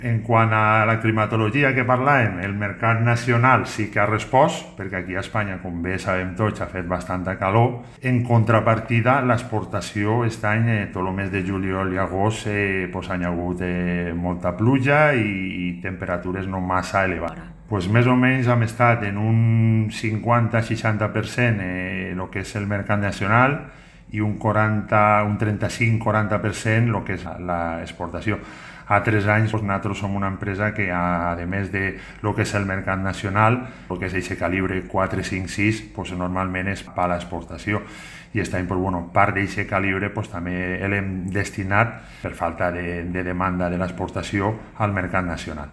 En quant a la climatologia que parlàvem, el mercat nacional sí que ha respost, perquè aquí a Espanya, com bé sabem tots, ha fet bastanta calor. En contrapartida, l'exportació aquest any, tot el mes de juliol i agost, pues, hi ha hagut molta pluja i temperatures no massa elevades. Pues més o menys hem estat en un 50-60% el que és el mercat nacional i un 35-40% el que és l'exportació. A 3 anys nosaltres som una empresa que, a més de lo que és el mercat nacional, el que és aquest calibre 4, 5, 6, pues, normalment és per a l'exportació. I aquest any, pues, bueno, part d'aquest calibre pues, també l'hem destinat, per falta de demanda de l'exportació, al mercat nacional.